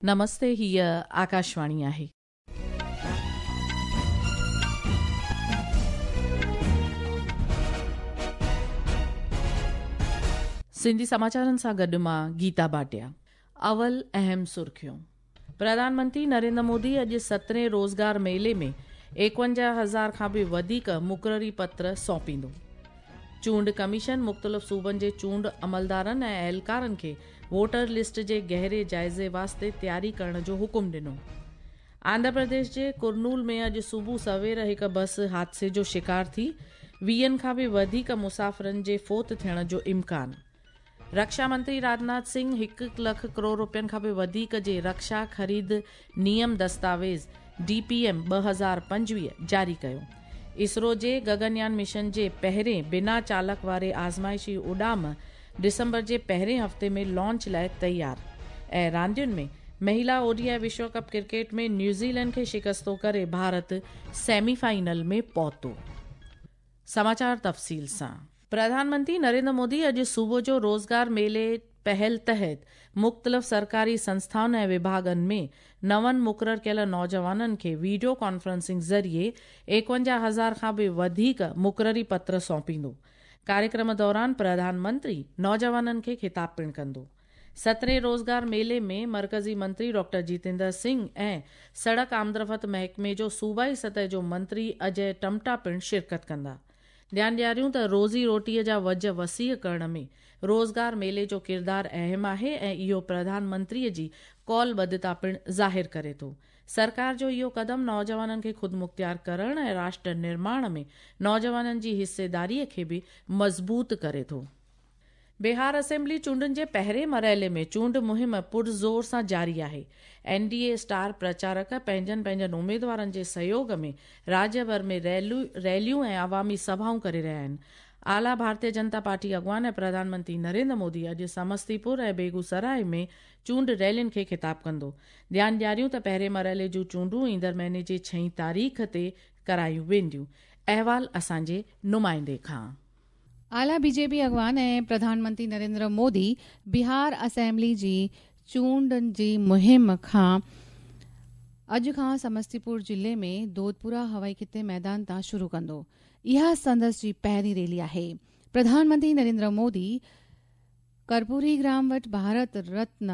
نمستي هيء آڪاشواڻي آهي. سنڌي سماچارن سان گڏ مان گيتا ڀاٽيا. اول اهم سرخيون. پرڌان منتري نريندر مودي اڄ سترهين روزگار ميلي ۾ ايڪونجاهه هزار کان به وڌيڪ مقرري پتر سونپيندو. چونڊ ڪميشن مختلف صوبن جي چونڊ عملدارن ۽ اهلڪارن کي ووٽر لسٽ جي گهري جائزي واسطي تياري ڪرڻ جو حڪم ڏنو. آنڌرا پرديش جي ڪرنول ۾ اڄ صبح سوير هڪ بس حادثي جو شڪار ٿي، ويهن کان به وڌيڪ مسافرن جي فوت ٿيڻ جو امڪان. رڪشا منتري راجناٿ سنگهه هڪ لک ڪروڙ رپين کان به وڌيڪ جي رڪشا خريد نيم دستاويز، ڊي پي ايم، 2025 جاري ڪيو. اسرو جي گگنيان مشن جي پهرين بنا چالڪ واري آزمائشي اڏام ڊسمبر جي پهرين هفتي ۾ لانچ لاء تيار ۽ راندين ۾ مهيلا او ڊي I وشو ڪپ ڪرڪيٽ ۾ نيوزيلينڊ کي شڪستو ڪري ڀارت سيمي فائنل ۾ پهتو. سماچار تفصيل سان. پرڌان منتري نريندر مودي اڄ صبح جو روزگار ميلي پهل تحت مختلف سرڪاري سنسٿائن ۽ وڀاڳن ۾ نون مقرر ڪيل نوجوانن کي ويڊيو ڪانفرنسنگ ذريعي ايڪونجاهه هزار کان به وڌيڪ مقرري پتر سونپيندو. ڪاريڪرم دوران پرڌان منتري نوجوانن کي خطاب پڻ ڪندو. سترهين روزگار ميلي ۾ مرڪزي منتري ڊاڪٽر جيتيندر سنگهه ۽ سڙڪ آمدرفت محڪمي جو صوبائي سطح جو منتري اجئه ٽمٽا پڻ شرڪت ڪندا. ڌيان ڏياريون ته روزي روٽيء جا وجهه وسيع ڪرڻ ۾ روزگار ميلي جو ڪردار اهم آهي ۽ اهو پرڌان منتريء جي قول ٻڌتا پڻ ظاهر ڪري ٿو. سرڪار جو اهو قدم نوجوانن کي خودمختيار ڪرڻ ۽ راشٽر نرماڻ ۾ نوجوانن جي حصيداريء کي به مضبوط ڪري ٿو. بهار اسيمبلي چونڊن جي پهرين مرحلي ۾ چونڊ مهم پرزور سان جاري آهي. اين ڊي اي اسٽار پرچارڪ پنهنجن پنهنجن اميدوارن جي سهيوڳ ۾ راڄ ڀر ۾ ريليون ۽ عوامي سڀائون ڪري رهيا آهن. اعليٰ ڀارتيه جنتا پارٽي اڳواڻ ۽ پرڌان منتري نريندر مودي اڄ سمستي پور ۽ بيگو سراء ۾ چونڊ ريلين کي خطاب ڪندو. ڌيان ڏياريون ته پهرين مرحلي جون چونڊون ايندڙ مهيني جي ڇهين تاريخ تي ڪرايون وينديون. احوال اسان جي نمائندي کان. اعليٰ بي جي پي اڳواڻ ۽ پرڌان منتري نريندر مودي بهار اسيمبلي جي چونڊن جي مهم کان اڄ کان سمستي پور ضلعي ۾ دودپورا هوائي خطي ميدان تان شروع ڪندو. اها سندس جي پهرين ريلي آهي. پرڌان منتري نريندر مودي ڪرپوري گرام وٽ ڀارت رتن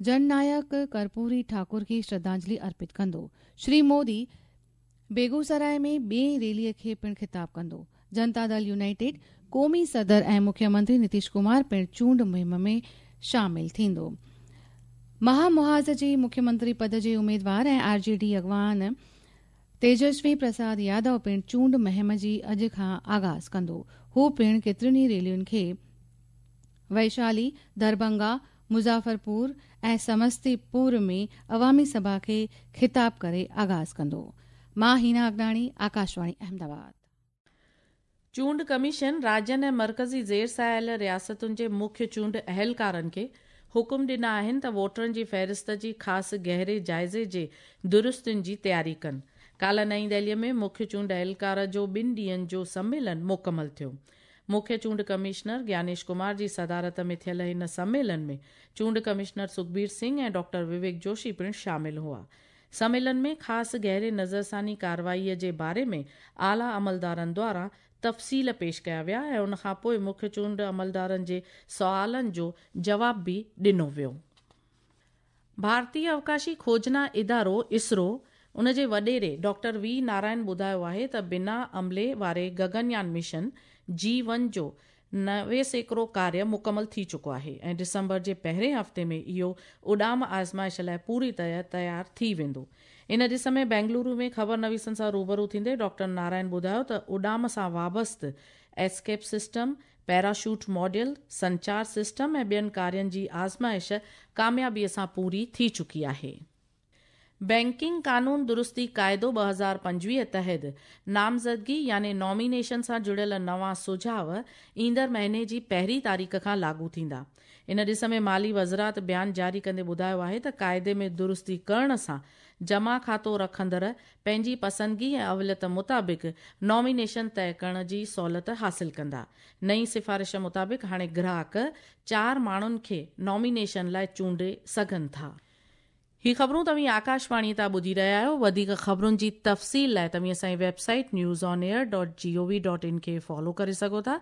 جن نايڪ ڪرپوري ٺاڪر کي شرڌانجلي ارپت ڪندو. شري مودي بيگوسراء ۾ ٻئين ريلي کي پڻ خطاب ڪندو. جنتا دل يونائيٽيڊ قومي صدر ۽ مکيه منتري نتيش ڪمار پڻ چونڊ مهم ۾ شامل ٿيندو. مها محاذ جي مکيه منتري پد جي اميدوار ۽ آر جي ڊي اڳواڻ تيجسوي پرساد يادو پڻ چونڊ مهم جي اڄ کان آغاز ڪندو. هو پڻ ڪيترين ئي ريلين کي ويشالي، دربنگا، مظفرپور ۽ سمستي پور ۾ عوامي سڀا کي خطاب ڪري آغاز ڪندو. مان هينا اگناڻي، آڪاشواڻي احمدآباد. چونڊ ڪميشن راڄين ۽ مرڪزي زير سايل رياستن جي مکيه چونڊ اهلڪارن کي حڪم ڏنا آهن ته ووٽرن جي فهرست جي خاص گهري جائزي جي درستين جي تياري ڪن. ڪالهه نئين دهلي ۾ مکيه چونڊ اهلڪار جو ٻن ڏينهن جو سميلن مڪمل ٿيو. مکيه چونڊ ڪمشنر گيانيش ڪمار جي صدارت ۾ ٿيل هن سميلن ۾ چونڊ ڪمشنر سکبير سنگهه ۽ ڊاڪٽر وويڪ جوشي پڻ شامل هئا. سميلن ۾ خاص گهري نظرثاني ڪارروائي جي باري ۾ اعليٰ عملدارن دواران تفصيل پيش ڪيا ويا ۽ ان کان پوء مکيه چونڊ عملدارن جي سوالن جو جواب به ڏنو ويو. ڀارتي اوڪاشي کوجنا ادارو، اسرو، ان جي وڏيري ڊاڪٽر وي نارائن ٻڌايو آهي ته بنا عملي واري گگنيان مشن جي ون جو 90% ڪاريه مڪمل ٿي چڪو آهي ۽ ڊسمبر جي پهرين هفتي ۾ اهو اڏام آزمائش لاء پوري طرح تيار ٿي ويندو. ان ڏس ۾ بينگلورو ۾ خبر نويسن سان روبرو ٿيندي ڊاڪٽر نارائن ٻڌايو ته اڏام سان وابسته ايسڪيپ سسٽم، پيراشوٽ ماڊيل، سنچار سسٽم ۽ ٻين ڪارين جي آزمائش ڪاميابي سان پوري ٿي چڪي آهي. بئنڪنگ قانون درستي قاعدو 2025 تحت نامزدگي يعني نامينيشن سان جڙيل نوان سجهاء ايندڙ مهيني جي پهرين تاريخ کان لاڳو ٿيندا. ان ڏس ۾ مالي وزرات بيان جاري ڪندي ٻڌايو آهي ته قاعدي ۾ درستي ڪرڻ سان جمع کاتو رکندڙ پنهنجي پسندگي ۽ اوليت مطابق نامينيشن طئي ڪرڻ جي سهولت حاصل ڪندا. نئين سفارش مطابق هاڻي گراهڪ چار ماڻهن کي نامينيشن لاء چونڊي سگهن ٿا. هي خبرون توهين آڪاشواڻي تان ٻڌي رهيا آهيو. وڌيڪ خبرن جي تفصيل لاء توهين اسان جي website news on air dot G O V dot in کي فالو ڪري سگهو ٿا.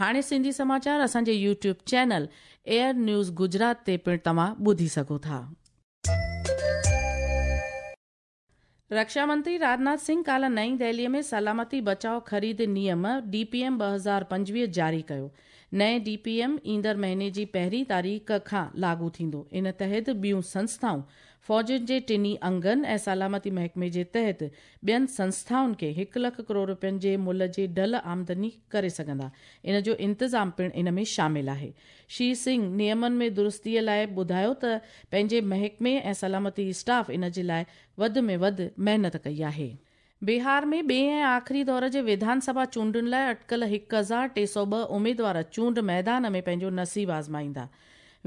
هاڻي سنڌي سماچار اسان جي YouTube channel AIR news Gujarat تي پڻ توهان ٻڌي سگهو ٿا. رڪشا منتري راجناٿ سنگهه ڪالهه نئين دهلي ۾ سلامتي بچاء خريد نيم، ڊي پي ايم، 2025 جاري ڪيو. نئين ڊي پي ايم ايندڙ مهيني جي پهرين تاريخ کان لاڳو ٿيندو. ان تحت ٻيون سنسٿائون فوجن جي ٽنهي انگن ۽ سلامتي محڪمي جي تحت ٻين سنسٿائن کي هڪ لک ڪروڙ رپين جي ملهه جي ڍل آمدني ڪري سگهندا. ان جو انتظام پڻ ان ۾ شامل آهي. شري سنگهه نيمن ۾ درستي لاء ٻڌايو ته پنهنجي محڪمي ۽ سلامتي اسٽاف ان جي لاء وڌ ۾ وڌ محنت ڪئي آهي. بهار ۾ ٻئي ۽ آخري دور جي وڌان سڀا چونڊن لاء اٽڪل 1302 اميدوار چونڊ ميدان ۾ پنهنجو نصيب آزمائيندا.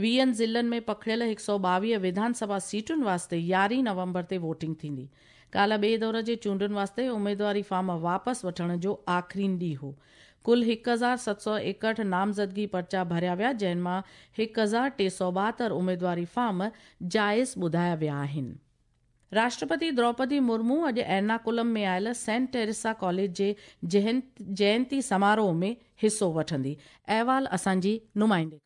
ويهن ضلعن ۾ پکڙيل 122 وڌان سڀا سيٽن واسطي يارهين نومبر تي ووٽنگ ٿيندي. ڪالهه ٻئي دور جي چونڊن واسطي اميدواري فارم واپس وٺڻ جو آخرين ڏينهن هو. ڪل 1761 نامزدگي پرچا ڀريا ويا جنهن مان 1372 اميدواري فارم جائز ٻڌايا ويا آهن. راشٽرپتي دروپدي مرمو اڄ ايرناڪولم ۾ آيل سينٽ ٽيريسا ڪاليج جي جينتي سماروهه ۾ حصو وٺندي. احوال اسان جي نمائندي کان.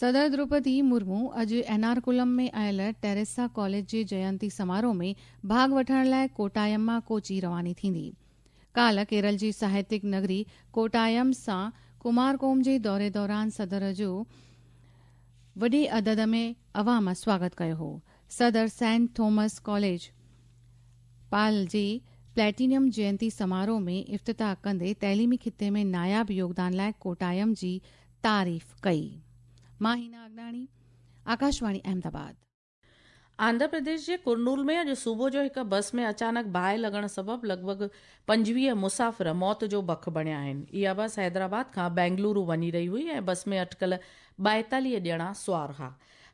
صدر دروپدي مرمو اڄ ايرناڪولم ۾ آيل ٽيريسا ڪاليج جي جينتي سماروهه ۾ ڀاڳ وٺڻ لاء ڪوٽايم مان ڪوچي رواني ٿيندي. ڪالهه ڪيرل جي ساهتيڪ نگري ڪوٽايم سان ڪمارڪوم جي دوري دوران صدر جو وڏي عدد ۾ عوام سواگت ڪيو هو. صدر سينٽ ٿامس ڪاليج پال جي پليٽينيم جينتي سماروهه ۾ افتتاح ڪندي تعليمي خطي ۾ ناياب يوگدان لاء ڪوٽايم جي تعريف ڪئي. مان هينا اگناڻي، آڪاشواڻي احمدآباد. آنڌرا پرديش جي ڪرنول ۾ اڄ صبح جو هڪ بس ۾ اچانڪ باهه لڳڻ سبب لڳ ڀڳ 25 مسافر موت جو بک بڻيا آهن. اها بس حيدرآباد کان بينگلورو وڃي رهي هئي ۽ بس ۾ اٽڪل 42 ڄڻا سوار ها.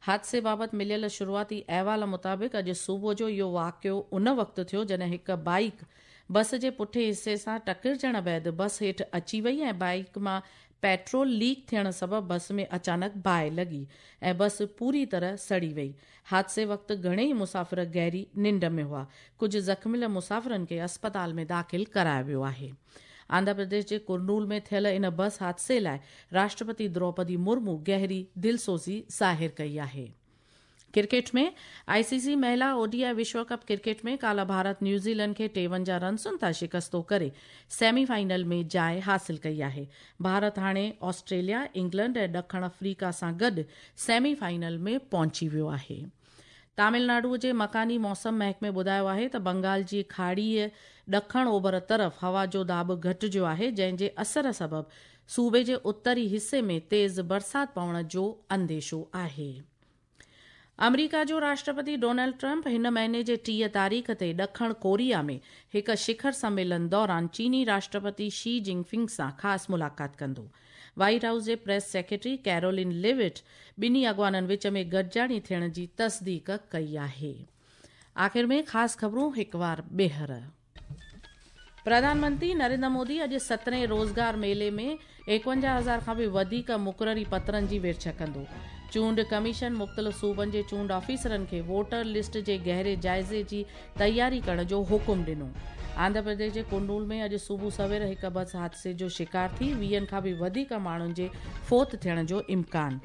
حادثي بابت مليل شروعاتي احوال مطابق اڄ صبح جو اهو واقعو ان وقت ٿيو جڏهن هڪ بائيڪ بس جي پٺئين حصي سان ٽڪرجڻ بعد بس هيٺ اچي وئي ۽ بائيڪ مان پيٽرول ليڪ ٿيڻ سبب بس ۾ اچانڪ باهه لڳي ۽ بس پوري طرح سڙي وئي. حادثي وقت گهڻيئي مسافر گهري ننڊ ۾ هئا. ڪجهه زخميل مسافرن کي اسپتال ۾ داخل ڪرايو ويو آهي. آنڌرا پرديش جي ڪرنول ۾ ٿيل ان بس حادثي لاء راشٽرپتي دروپدي مرمو گهري دلسوزي ظاهر ڪئي آهي. ڪرڪيٽ ۾، آء سي سي مهلا او ڊي I وشو ڪپ ڪرڪيٽ ۾ ڪالهه ڀارت نيوزيلينڊ کي 53 رنسن تان شڪستو ڪري سيمي فائنل ۾ جاء حاصل ڪئي آهي. ڀارت هاڻي آسٽريليا، انگلنڊ ۽ ڏکڻ آفريڪا سان گڏ سيمي فائنل ۾ پهچي ويو آهي. تامل ناڊو جي مڪاني موسم محڪمي ٻڌايو آهي ته بنگال جي کاڙيء ڏکڻ اوڀر طرف هوا جو داٻ گهٽجيو آهي جنهن جي اثر سبب صوبي جي اتري حصي ۾ تيز برسات پوڻ جو انديشو آهي. آمريڪا جو راشٽرپتي ڊونلڊ ٽرمپ هن مهيني جي 30 تاريخ تي ڏکڻ ڪوريا ۾ هڪ شکر سميلن دوران چيني راشٽرپتي شي جنگ فنگ سان خاص ملاقات ڪندو. وائيٽ هائوس جي پريس سيڪريٽري ڪيرولين ليوٽ ٻنهي اڳواڻن وچ ۾ گڏجاڻي ٿيڻ جي تصديق ڪئي آهي. آخر ۾ خاص خبرون هڪوار ٻيهر. پرڌان منتري نريندر مودي اڄ سترهين روزگار ميلي ۾ 51 هزار کان به وڌيڪ مقرري پترن جي ورڇ ڪندو. چونڊ ڪميشن مختلف صوبن جي چونڊ آفيسرن کي ووٽر لسٽ جي گهري جائزي جي تياري ڪرڻ جو حڪم ڏنو. آنڌرا پرديش جي ڪرنول ۾ اڄ صبح سوير هڪ بس حادثي جو شڪار ٿي، ويهن کان به وڌيڪ ماڻهن جي فوت ٿيڻ جو امڪان.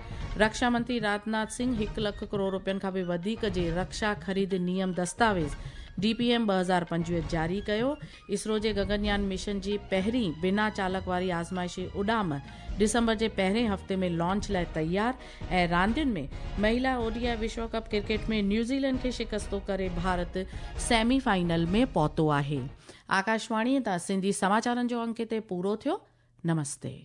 رڪشا منتري راجناٿ سنگهه هڪ لک ڪروڙ رپين کان به وڌيڪ جي رڪشا خريد نيم دستاويز، ڊي پي ايم، 2025 جاري ڪيو. اسرو جي گگن يان مشن جي پهرين بنا چالڪ واري آزمائشي اڏام ڊسمبر جي پهرين هفتي ۾ لانچ لاء تيار ۽ راندين ۾ مهيلا او ڊي I وشو ڪپ ڪرڪيٽ ۾ نيوزيلينڊ کي شڪستو ڪري ڀارت سيمي فائنل ۾ پهتو آهي. آڪاشواڻي تان سنڌي سماچارن جو انڪ هتي پورو ٿيو. نمستي.